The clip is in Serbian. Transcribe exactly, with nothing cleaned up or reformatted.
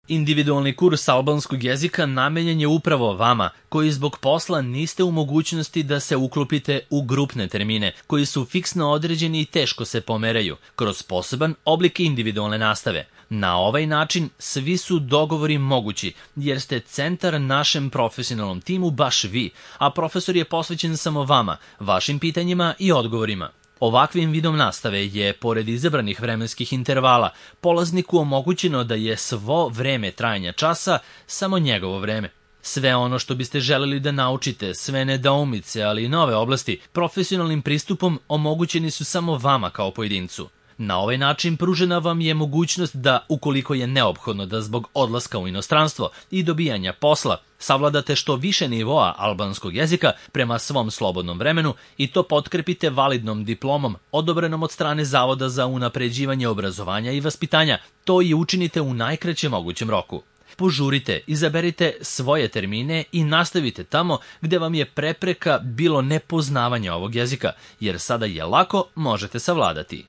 Individualni kurs albanskog jezika namenjen je upravo vama, koji zbog posla niste u mogućnosti da se uklopite u grupne termine, koji su fiksno određeni i teško se pomeraju, kroz poseban oblik individualne nastave. Na ovaj način svi su dogovori mogući, jer ste centar našem profesionalnom timu baš vi, a profesor je posvećen samo vama, vašim pitanjima i odgovorima. Ovakvim vidom nastave je, pored izabranih vremenskih intervala, polazniku omogućeno da je svo vreme trajanja časa samo njegovo vreme. Sve ono što biste želeli da naučite, sve nedoumice, ali i nove oblasti, profesionalnim pristupom omogućeni su samo vama kao pojedincu. Na ovaj način pružena vam je mogućnost da, ukoliko je neophodno da zbog odlaska u inostranstvo i dobijanja posla, savladate što više nivoa albanskog jezika prema svom slobodnom vremenu i to potkrepite validnom diplomom odobrenom od strane Zavoda za unapređivanje obrazovanja i vaspitanja, to i učinite u najkraćem mogućem roku. Požurite, izaberite svoje termine i nastavite tamo gde vam je prepreka bilo nepoznavanje ovog jezika, jer sada je lako možete savladati.